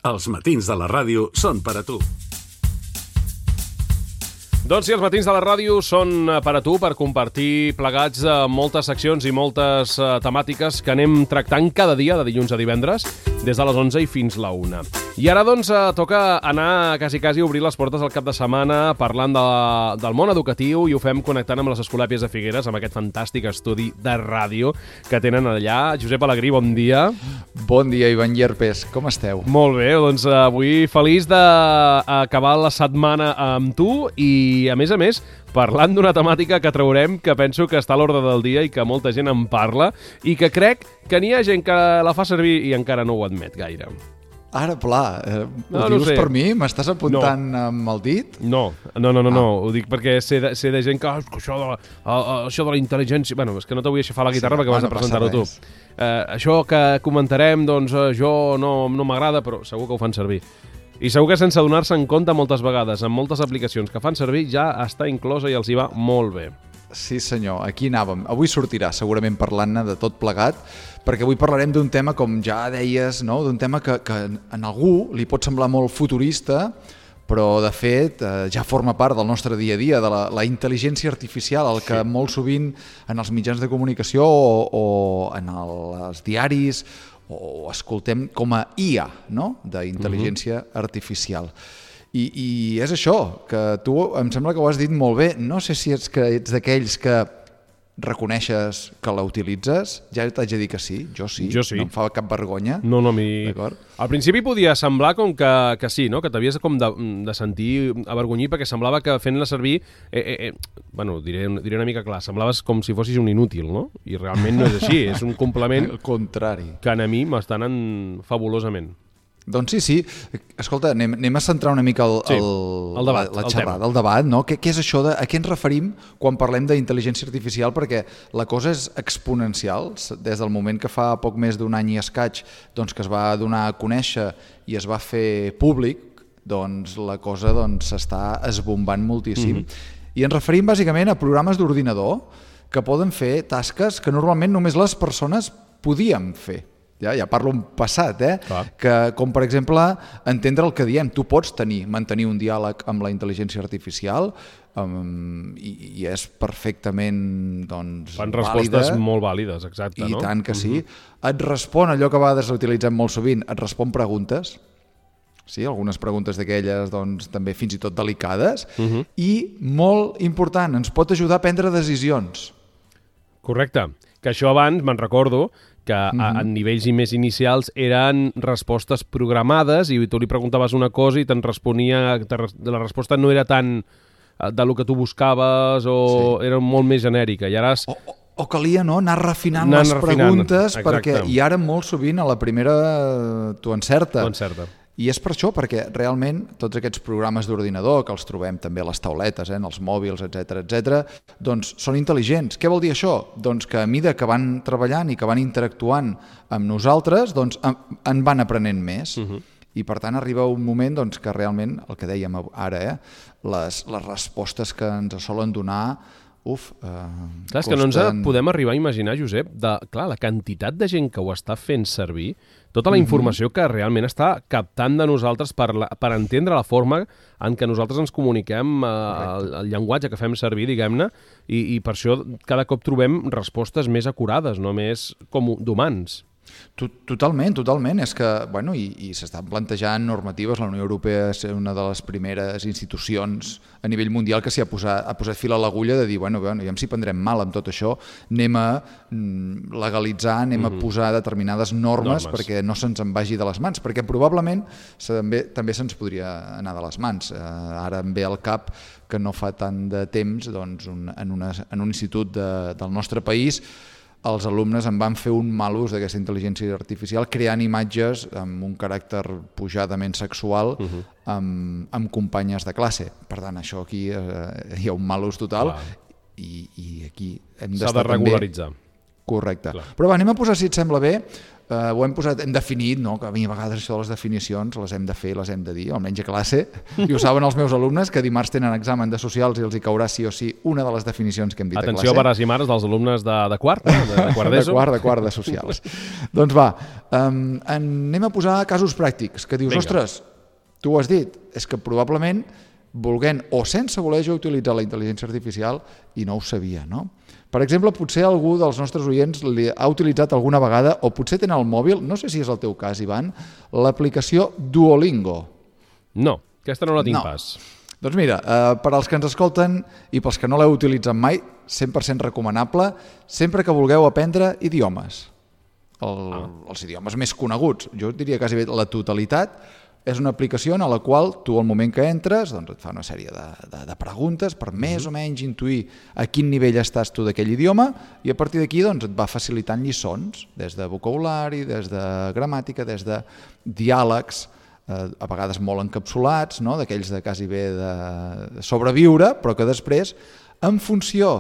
Els matins de la ràdio són per a tu. Doncs sí, els matins de la ràdio són per a tu, per compartir plegats moltes seccions i moltes temàtiques que anem tractant cada dia, de dilluns a divendres, des de les 11 i fins la 1. I ara, doncs, toca anar quasi a obrir les portes al cap de setmana parlant del món educatiu, i ho fem connectant amb les Escolàpies de Figueres, amb aquest fantàstic estudi de ràdio que tenen allà. Josep Alegrí, bon dia. Bon dia, Ivan Llerpes. Com esteu? Molt bé, doncs avui feliç d'acabar la setmana amb tu i, a més, parlant d'una temàtica que traurem que penso que està a l'ordre del dia i que molta gent en parla i que crec que n'hi ha gent que la fa servir i encara no ho admet gaire. Ara, pla, ho dius per mi? M'estàs apuntant amb el dit? No, ho dic perquè sé de gent que això de la intel·ligència... Bueno, és que no t'ho vull aixafar la guitarra perquè vas a presentar-ho tu. Això que comentarem, doncs jo no m'agrada, però segur que ho fan servir. I segur que sense donar-se en compte moltes vegades, en moltes aplicacions que fan servir, ja està inclosa i els hi va molt bé. Sí, senyor, aquí anàvem. Avui sortirà segurament parlant-ne de tot plegat, perquè avui parlarem d'un tema, com ja deies, no? D'un tema que a algú li pot semblar molt futurista, però de fet ja forma part del nostre dia a dia, de la intel·ligència artificial, el que molt sovint en els mitjans de comunicació o en els diaris o escoltem com a IA, no? D'intel·ligència artificial. I és això, que tu em sembla que ho has dit molt bé. No sé si ets d'aquells que reconeixes que la utilitzes. Ja t'haig de dir que sí, jo sí. No em fa cap vergonya. No, a mi... Al principi podia semblar com que sí, no? Que t'havies com de sentir avergonyir perquè semblava que fent-la servir... Bueno, diré una mica clar, semblaves com si fossis un inútil, no? I realment no és així, és un complement... Al contrari. Que a mi m'estan fabulosament. Doncs sí. Escolta, anem a centrar una mica la xerrada, el debat, no? Què és això a què ens referim quan parlem d'intel·ligència artificial? Perquè la cosa és exponencial. Des del moment que fa poc més d'un any i escaig doncs, que es va donar a conèixer i es va fer públic, doncs la cosa s'està esbombant moltíssim. I ens referim bàsicament a programes d'ordinador que poden fer tasques que normalment només les persones podíem fer. Ja parlo en passat, que, com per exemple entendre el que diem. Tu pots mantenir un diàleg amb la intel·ligència artificial i és perfectament vàlida. Fan respostes molt vàlides, exacte, no? I tant que sí. Et respon allò que a vegades utilitzem molt sovint, et respon preguntes, sí, algunes preguntes d'aquelles també fins i tot delicades, i molt important, ens pot ajudar a prendre decisions. Correcte, que això abans me'n recordo que a nivells més inicials eren respostes programades i tu li preguntaves una cosa i te'n responia, la resposta no era tan de lo que tu buscaves o era molt més genèrica. I ara... O calia anar refinant les preguntes, perquè i ara molt sovint a la primera t'ho encerta. I és per això, perquè realment tots aquests programes d'ordinador, que els trobem també a les tauletes, en els mòbils, etc., doncs són intel·ligents. Què vol dir això? Doncs que a mesura que van treballant i que van interactuant amb nosaltres, doncs en van aprenent més. I per tant arriba un moment que realment, el que dèiem ara, les respostes que ens solen donar... Clar, és que no ens podem arribar a imaginar, Josep, la quantitat de gent que ho està fent servir, tota la informació que realment està captant de nosaltres per entendre la forma en què nosaltres ens comuniquem, el llenguatge que fem servir, diguem-ne, i per això cada cop trobem respostes més acurades, no més com d'humans. Totalment. És que, i s'estan plantejant normatives. La Unió Europea és una de les primeres institucions a nivell mundial que s'hi ha posat fil a l'agulla de dir, ja si prendrem mal amb tot això, anem a legalitzar, anem a posar determinades normes perquè no se'ns en vagi de les mans, perquè probablement també se'ns podria anar de les mans. Ara em ve al cap que no fa tant de temps en un institut del nostre país els alumnes en van fer un mal ús d'aquesta intel·ligència artificial creant imatges amb un caràcter pujadament sexual amb companyes de classe. Per tant, això aquí hi ha un mal ús total i aquí hem d'estar també... S'ha de regularitzar. Correcte. Però anem a posar, si et sembla bé, ho hem definit, no? Que a mi a vegades això de les definicions les hem de fer, les hem de dir, almenys a classe, i ho saben els meus alumnes, que dimarts tenen examen de socials i els hi caurà sí o sí una de les definicions que hem dit a classe. Atenció, pares i mares dels alumnes de quart, de quart d'ESO. De quart de socials. Doncs va, anem a posar casos pràctics, que dius, ostres, tu ho has dit, és que probablement volent o sense voler jo utilitzar la intel·ligència artificial i no ho sabia, no? Per exemple, potser algú dels nostres oients ha utilitzat alguna vegada, o potser tenen al mòbil, no sé si és el teu cas, Ivan, l'aplicació Duolingo. No, aquesta no la tinc pas. Doncs mira, per als que ens escolten i pels que no l'heu utilitzat mai, 100% recomanable, sempre que vulgueu aprendre idiomes. Els idiomes més coneguts, jo diria quasi bé la totalitat. És una aplicació en la qual tu, al moment que entres, doncs et fa una sèrie de preguntes per més o menys intuir a quin nivell estàs tu d'aquell idioma, i a partir d'aquí doncs, et va facilitant lliçons, des de vocabulari, des de gramàtica, des de diàlegs, a vegades molt encapsulats, no? D'aquells de quasi bé de sobreviure, però que després, en funció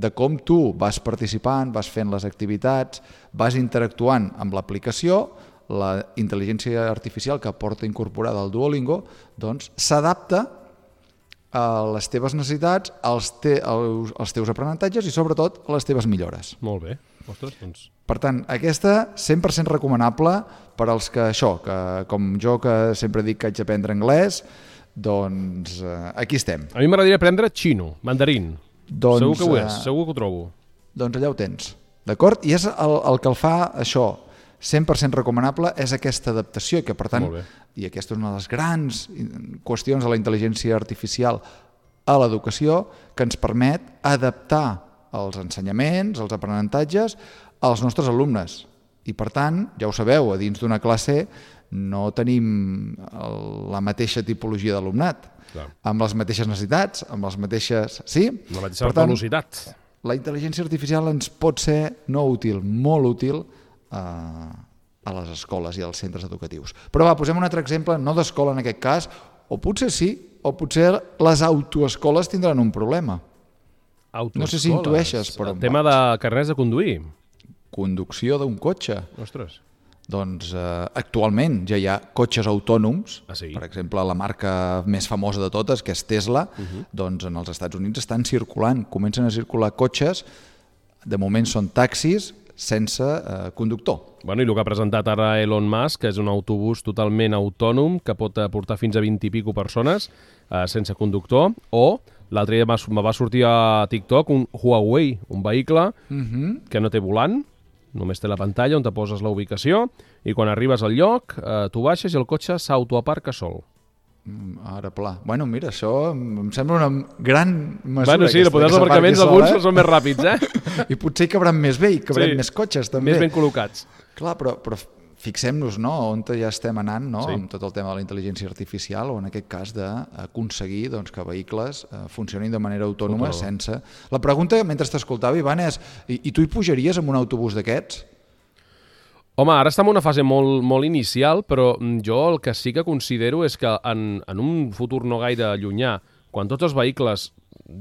de com tu vas participant, vas fent les activitats, vas interactuant amb l'aplicació, la intel·ligència artificial que porta incorporada al Duolingo doncs s'adapta a les teves necessitats, als teus aprenentatges i sobretot a les teves millores. Molt bé. Ostres, doncs... Per tant, aquesta 100% recomanable per als que que com jo que sempre dic que haig d'aprendre anglès, doncs aquí estem. A mi m'agradaria aprendre xino, mandarín. Doncs, segur que ho és, segur que ho trobo. Doncs allà ho tens, d'acord? I és el que el fa això, 100% recomanable, és aquesta adaptació, que per tant, i aquesta és una de les grans qüestions de la intel·ligència artificial a l'educació, que ens permet adaptar els ensenyaments, els aprenentatges als nostres alumnes. I per tant, ja ho sabeu, a dins d'una classe no tenim la mateixa tipologia d'alumnat, amb les mateixes necessitats, amb les mateixes... Sí? La mateixa velocitat. La intel·ligència artificial ens pot ser no útil, molt útil, a les escoles i als centres educatius. Però va, posem un altre exemple, no d'escola en aquest cas, o potser sí, o potser les autoescoles tindran un problema. No sé si intueixes, però... El tema de carnets de conduir. Conducció d'un cotxe. Ostres. Doncs actualment ja hi ha cotxes autònoms, per exemple, la marca més famosa de totes, que és Tesla, doncs en els Estats Units estan circulant, comencen a circular cotxes, de moment són taxis, sense conductor. Bueno, i el que ha presentat ara Elon Musk, que és un autobús totalment autònom que pot portar fins a 20 i pico persones sense conductor, o l'altre dia me va sortir a TikTok un Huawei, un vehicle que no té volant, només té la pantalla on te poses la ubicació i quan arribes al lloc tu baixes i el cotxe s'autoaparca sol. Ara pla. Bueno, mira, això em sembla una gran mesura. Bueno, sí, els aparcaments alguns són més ràpids, I potser hi cabran més bé, hi cabran més cotxes, també. Més ben col·locats. Clar, però fixem-nos, no?, on ja estem anant, no?, amb tot el tema de la intel·ligència artificial, o en aquest cas d'aconseguir que vehicles funcionin de manera autònoma sense... La pregunta, mentre t'escoltava, Ivan, és i tu hi pujaries en un autobús d'aquests? Home, ara està en una fase molt inicial, però jo el que sí que considero és que en un futur no gaire llunyà, quan tots els vehicles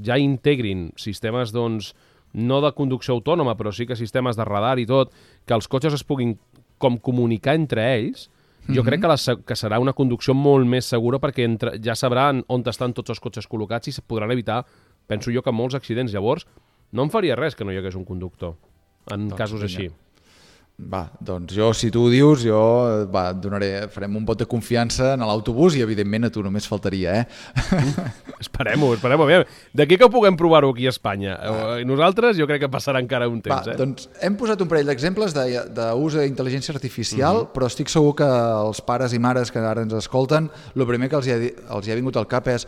ja integrin sistemes, doncs, no de conducció autònoma, però sí que sistemes de radar i tot, que els cotxes es puguin com comunicar entre ells, jo crec que serà una conducció molt més segura perquè ja sabran on estan tots els cotxes col·locats i es podran evitar, penso jo, que molts accidents. Llavors, no em faria res que no hi hagués un conductor en casos així. Va, doncs jo, si tu ho dius, jo farem un vot de confiança en l'autobús i evidentment a tu només faltaria, Esperem-ho. D'aquí que ho puguem provar-ho aquí a Espanya. Nosaltres jo crec que passarà encara un temps. Doncs hem posat un parell d'exemples d'ús d'intel·ligència artificial, però estic segur que els pares i mares que ara ens escolten, el primer que els hi ha vingut al cap és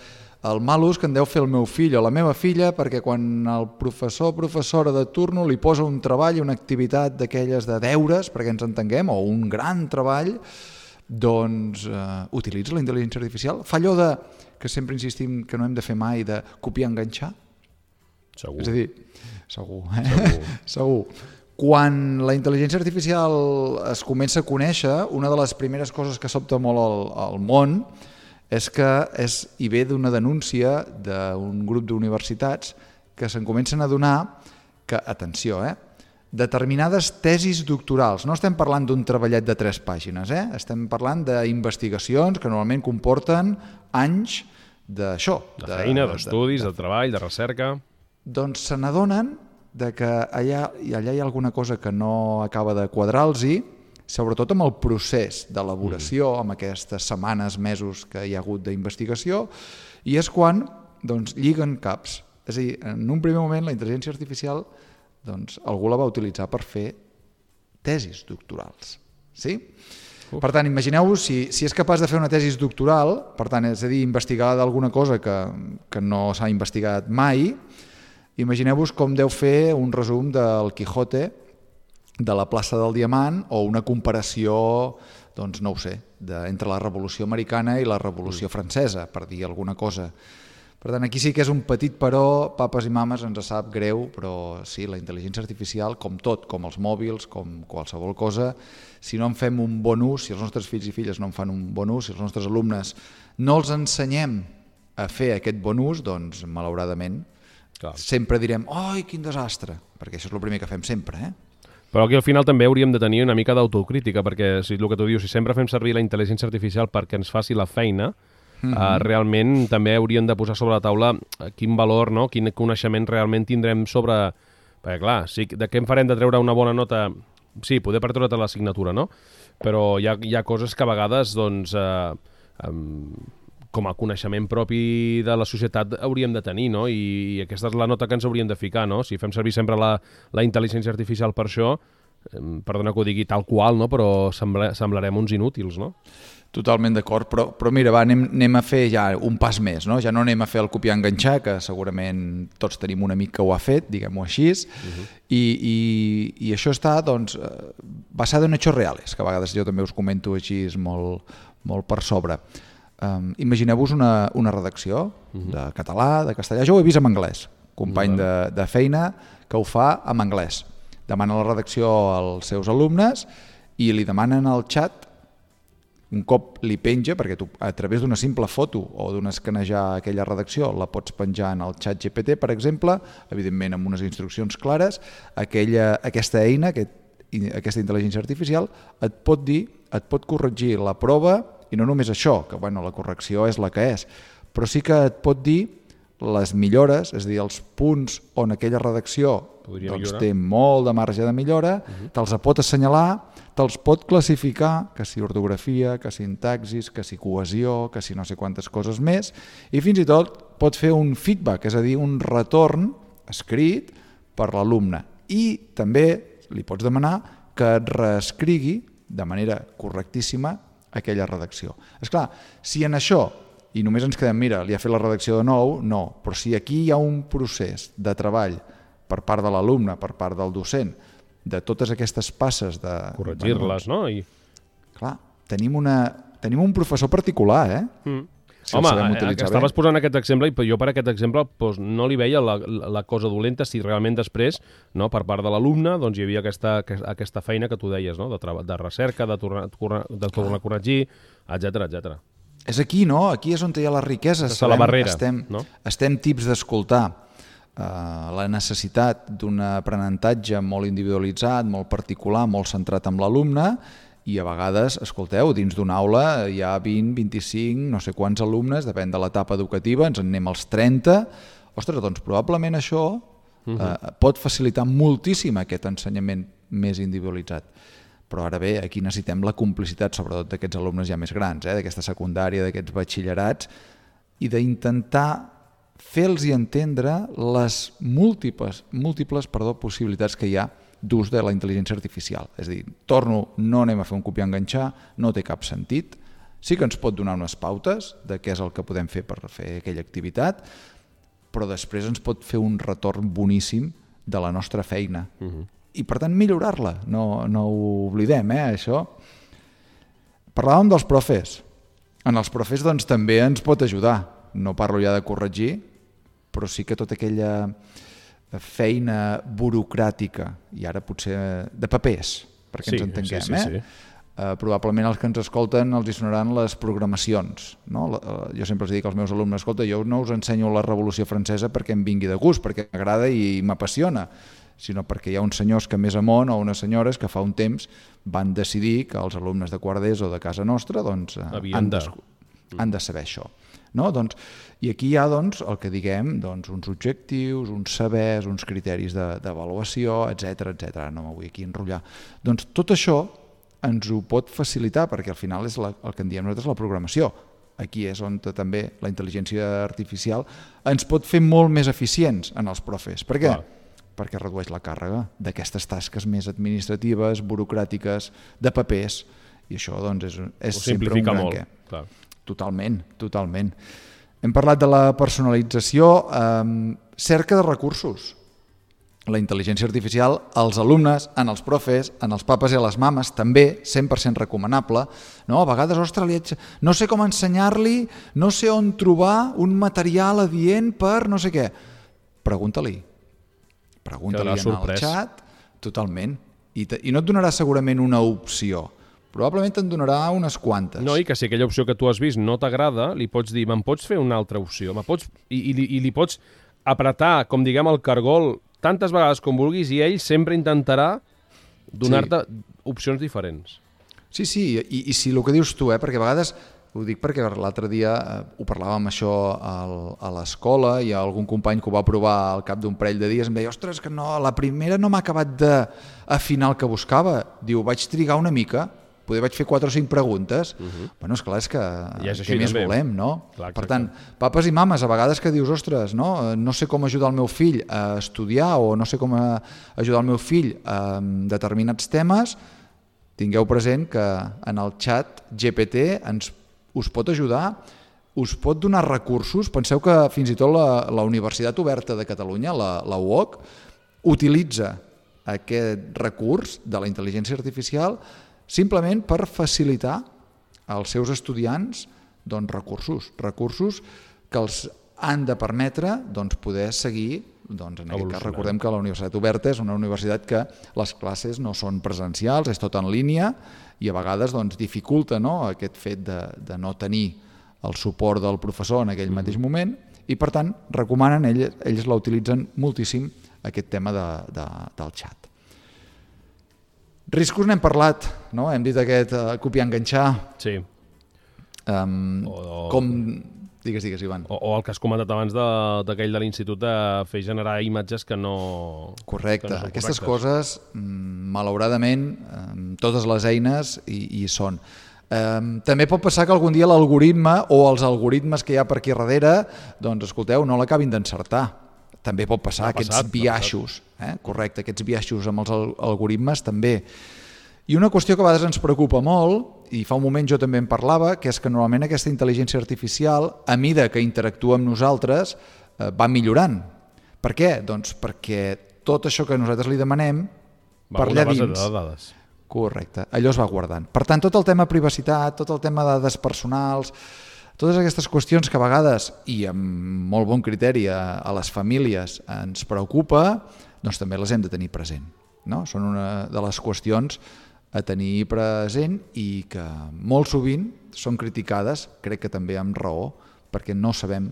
el mal ús que en deu fer el meu fill o la meva filla, perquè quan el professor o professora de turno li posa un treball, una activitat d'aquelles de deures, perquè ens entenguem, o un gran treball, doncs utilitza la intel·ligència artificial. Fa allò que sempre insistim que no hem de fer mai, de copiar-enganxar? Segur. És a dir, segur. Quan la intel·ligència artificial es comença a conèixer, una de les primeres coses que sobta molt al món és que hi ve d'una denúncia d'un grup d'universitats que se'n comencen a adonar que, atenció, determinades tesis doctorals. No estem parlant d'un treballet de 3 pàgines, estem parlant d'investigacions que normalment comporten anys d'això. De feina, d'estudis, de treball, de recerca. Doncs se n'adonen que allà hi ha alguna cosa que no acaba de quadrar-los, sobretot amb el procés d'elaboració, amb aquestes setmanes, mesos que hi ha hagut d'investigació, i és quan lliguen caps. És a dir, en un primer moment la intel·ligència artificial algú la va utilitzar per fer tesis doctorals. Sí? Per tant, imagineu-vos si és capaç de fer una tesis doctoral, per tant, és a dir, investigar d'alguna cosa que no s'ha investigat mai, imagineu-vos com deu fer un resum del Quijote, de la plaça del Diamant, o una comparació, no ho sé, entre la Revolució Americana i la Revolució Francesa, per dir alguna cosa. Per tant, aquí sí que és un petit però, papes i mames, ens sap greu, però sí, la intel·ligència artificial, com tot, com els mòbils, com qualsevol cosa, si no en fem un bon ús, si els nostres fills i filles no en fan un bon ús, si els nostres alumnes no els ensenyem a fer aquest bon ús, doncs, malauradament, sempre direm, oi, quin desastre, perquè això és el primer que fem sempre, Però aquí al final també hauríem de tenir una mica d'autocrítica, perquè si el que tu dius, si sempre fem servir la intel·ligència artificial perquè ens faci la feina, realment també hauríem de posar sobre la taula quin valor, quin coneixement realment tindrem sobre... Perquè clar, de què en farem de treure una bona nota? Sí, poder per treure't l'assignatura, no? Però hi ha coses que a vegades, com a coneixement propi de la societat hauríem de tenir, no? I aquesta és la nota que ens hauríem de ficar, no? Si fem servir sempre la intel·ligència artificial per això, perdona que ho digui tal qual, no? Però semblarem uns inútils, no? Totalment d'acord, però mira, anem a fer ja un pas més, no? Ja no anem a fer el copiar-enganxar, que segurament tots tenim un amic que ho ha fet, diguem-ho així, i això està, basat en hechos reales, que a vegades jo també us comento així molt per sobre. Imagineu-vos una redacció de català, de castellà, jo ho he vist en anglès, company de feina que ho fa en anglès. Demana la redacció als seus alumnes i li demanen al xat, un cop li penja, perquè tu a través d'una simple foto o d'un escanejar aquella redacció la pots penjar en el xat GPT, per exemple, evidentment amb unes instruccions clares, aquesta eina, aquesta intel·ligència artificial, et pot dir, et pot corregir la prova, i no només això, que la correcció és la que és, però sí que et pot dir les millores, és a dir, els punts on aquella redacció té molt de marge de millora, te'ls pot assenyalar, te'ls pot classificar, que si ortografia, que si sintaxis, que si cohesió, que si no sé quantes coses més, i fins i tot pot fer un feedback, és a dir, un retorn escrit per l'alumne. I també li pots demanar que et reescrigui de manera correctíssima aquella redacció. Esclar, si en això, i només ens quedem, mira, li ha fet la redacció de nou, no, però si aquí hi ha un procés de treball per part de l'alumne, per part del docent, de totes aquestes passes de... corregir-les, no? Clar, tenim un professor particular, Si home, estaves posant aquest exemple i jo per aquest exemple no li veia la cosa dolenta si realment després, per part de l'alumne, hi havia aquesta feina que tu deies, de recerca, de tornar a corregir, etc. És aquí, no? Aquí és on hi ha la riquesa. La barrera, estem tips d'escoltar la necessitat d'un aprenentatge molt individualitzat, molt particular, molt centrat en l'alumne, i a vegades, escolteu, dins d'una aula hi ha 20, 25, no sé quants alumnes, depèn de l'etapa educativa, ens en anem als 30. Ostres, doncs probablement això pot facilitar moltíssim aquest ensenyament més individualitzat. Però ara bé, aquí necessitem la complicitat, sobretot d'aquests alumnes ja més grans, d'aquesta secundària, d'aquests batxillerats, i d'intentar fer-los entendre les múltiples possibilitats que hi ha d'ús de la intel·ligència artificial. És a dir, no anem a fer un copiar-enganxar, no té cap sentit. Sí que ens pot donar unes pautes de què és el que podem fer per fer aquella activitat, però després ens pot fer un retorn boníssim de la nostra feina. I per tant millorar-la, no ho oblidem, això. Parlàvem dels profes. En els profes també ens pot ajudar. No parlo ja de corregir, però sí que tota aquella feina burocràtica, i ara potser de papers, perquè ens entenguem. Sí. Probablement els que ens escolten els hi sonaran les programacions. Jo sempre els dic als meus alumnes, escolta, jo no us ensenyo la Revolució Francesa perquè em vingui de gust, perquè m'agrada i m'apassiona, sinó perquè hi ha uns senyors que més amunt o unes senyores que fa un temps van decidir que els alumnes de quart d'ESO de casa nostra doncs, han de saber això. No? Doncs, i aquí hi ha doncs, el que diguem doncs, uns objectius, uns sabers, uns criteris d'avaluació, etc. No m'ho vull aquí enrotllar. Doncs tot això ens ho pot facilitar, perquè al final és el que en diem nosaltres la programació. Aquí és on també la intel·ligència artificial ens pot fer molt més eficients en els profes. Per què? Perquè redueix la càrrega d'aquestes tasques més administratives, burocràtiques, de papers, i això doncs, és sempre un gran què. Clar. Totalment. Hem parlat de la personalització, cerca de recursos. La intel·ligència artificial, als alumnes, en els profes, en els papes i a les mames, també 100% recomanable. No? A vegades, ostres, no sé com ensenyar-li, no sé on trobar un material adient per no sé què. Pregunta-li en el xat, totalment. I no et donarà segurament una opció, probablement te'n donarà unes quantes. No, i que si aquella opció que tu has vist no t'agrada, li pots dir, me'n pots fer una altra opció? I li pots apretar, com diguem, el cargol tantes vegades com vulguis i ell sempre intentarà donar-te opcions diferents. Sí, i si el que dius tu, perquè a vegades, ho dic perquè l'altre dia ho parlàvem això a l'escola i algun company que ho va provar al cap d'un parell de dies em deia, ostres, que no, la primera no m'ha acabat d'afinar el que buscava. Diu, vaig trigar una mica, poder vaig fer 4 o 5 preguntes. Bueno, esclar, és que què més volem, no? Clar, per tant, papes i mames, a vegades que dius, ostres, no sé com ajudar el meu fill a estudiar o no sé com ajudar el meu fill a determinats temes, tingueu present que en el xat GPT us pot ajudar, us pot donar recursos. Penseu que fins i tot la Universitat Oberta de Catalunya, la UOC, utilitza aquest recurs de la intel·ligència artificial simplement per facilitar als seus estudiants recursos que els han de permetre poder seguir. En aquest cas recordem que la Universitat Oberta és una universitat que les classes no són presencials, és tot en línia i a vegades dificulta aquest fet de no tenir el suport del professor en aquell mateix moment i per tant recomanen, ells la utilitzen moltíssim aquest tema del xat. Riscos n'hem parlat, no? Hem dit aquest copiar-enganxar. Sí. Digues, Ivan. O el que has comentat abans d'aquell de l'institut de fer generar imatges que no... Correcte. Aquestes coses, malauradament, totes les eines hi són. També pot passar que algun dia l'algoritme o els algoritmes que hi ha per aquí darrere, escolteu, no l'acabin d'encertar. També pot passar aquests biaixos, correcte, aquests biaixos amb els algoritmes també. I una qüestió que a vegades ens preocupa molt, i fa un moment jo també en parlava, que és que normalment aquesta intel·ligència artificial, a mida que interactua amb nosaltres, va millorant. Per què? Doncs perquè tot això que nosaltres li demanem, per allà dins... base de dades. Correcte, allò es va guardant. Per tant, tot el tema privacitat, tot el tema de dades personals, totes aquestes qüestions que a vegades, i amb molt bon criteri a les famílies ens preocupa, doncs també les hem de tenir present. No? Són una de les qüestions a tenir present i que molt sovint són criticades, crec que també amb raó, perquè no sabem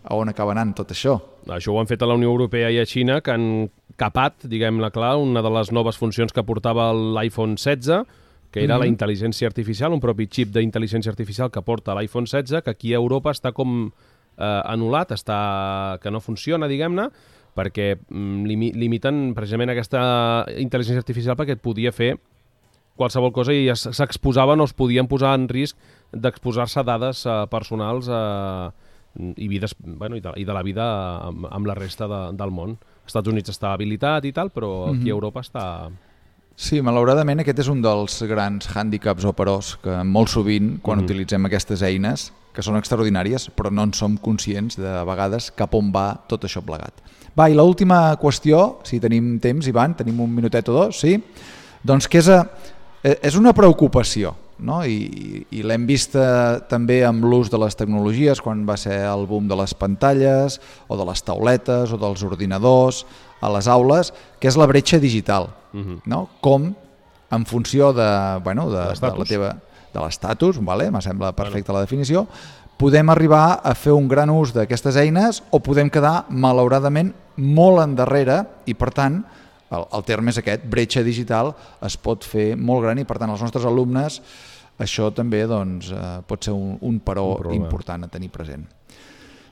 a on acaba anant tot això. Això ho han fet a la Unió Europea i a Xina, que han capat, diguem-ne clar, una de les noves funcions que portava l'iPhone 16, que era la intel·ligència artificial, un propi xip d'intel·ligència artificial que porta l'iPhone 16, que aquí a Europa està com anul·lat, que no funciona, diguem-ne, perquè limiten precisament aquesta intel·ligència artificial perquè et podia fer qualsevol cosa i s'exposaven o es podien posar en risc d'exposar-se a dades personals i de la vida amb la resta del món. Als Estats Units està habilitat i tal, però aquí a Europa està... Sí, malauradament aquest és un dels grans hàndicaps o peròs que molt sovint quan utilitzem aquestes eines, que són extraordinàries, però no en som conscients de vegades cap on va tot això plegat. Va, i l'última qüestió, si tenim temps, Ivan, tenim un minutet o dos, sí? Doncs que és una preocupació, no? I l'hem vista també amb l'ús de les tecnologies, quan va ser el boom de les pantalles, o de les tauletes, o dels ordinadors, a les aules, que és la bretxa digital. No? Com, en funció de l'estatus, me sembla perfecta la definició, podem arribar a fer un gran ús d'aquestes eines o podem quedar, malauradament, molt endarrere i, per tant, el terme és aquest, bretxa digital, es pot fer molt gran i per tant els nostres alumnes això també doncs, pot ser un paró important a tenir present.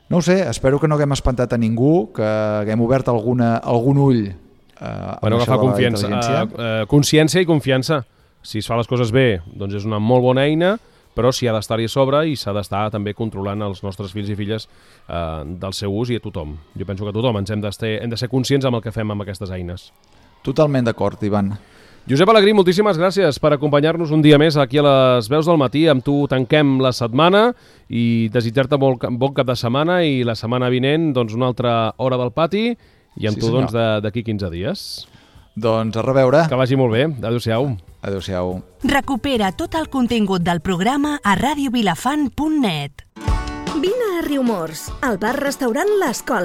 No ho sé, espero que no haguem espantat a ningú, que haguem obert algun ull amb això de la intel·ligència. Consciència i confiança. Si es fa les coses bé, doncs és una molt bona eina, però s'hi ha d'estar-hi a sobre i s'ha d'estar també controlant els nostres fills i filles del seu ús i a tothom. Jo penso que tothom hem de ser conscients amb el que fem amb aquestes eines. Totalment d'acord, Ivan. Josep Alegrí, moltíssimes gràcies per acompanyar-nos un dia més aquí a les Veus del Matí. Amb tu tanquem la setmana i desitjar-te bon cap de setmana i la setmana vinent doncs, una altra hora del pati i amb tu doncs, d'aquí 15 dies. Doncs a reveure. Que vagi molt bé. Adéu-siau. Adéu-siau. Recupera tot el contingut del programa a radiovilafant.net. Vine a Riumors, al bar-restaurant L'Escola.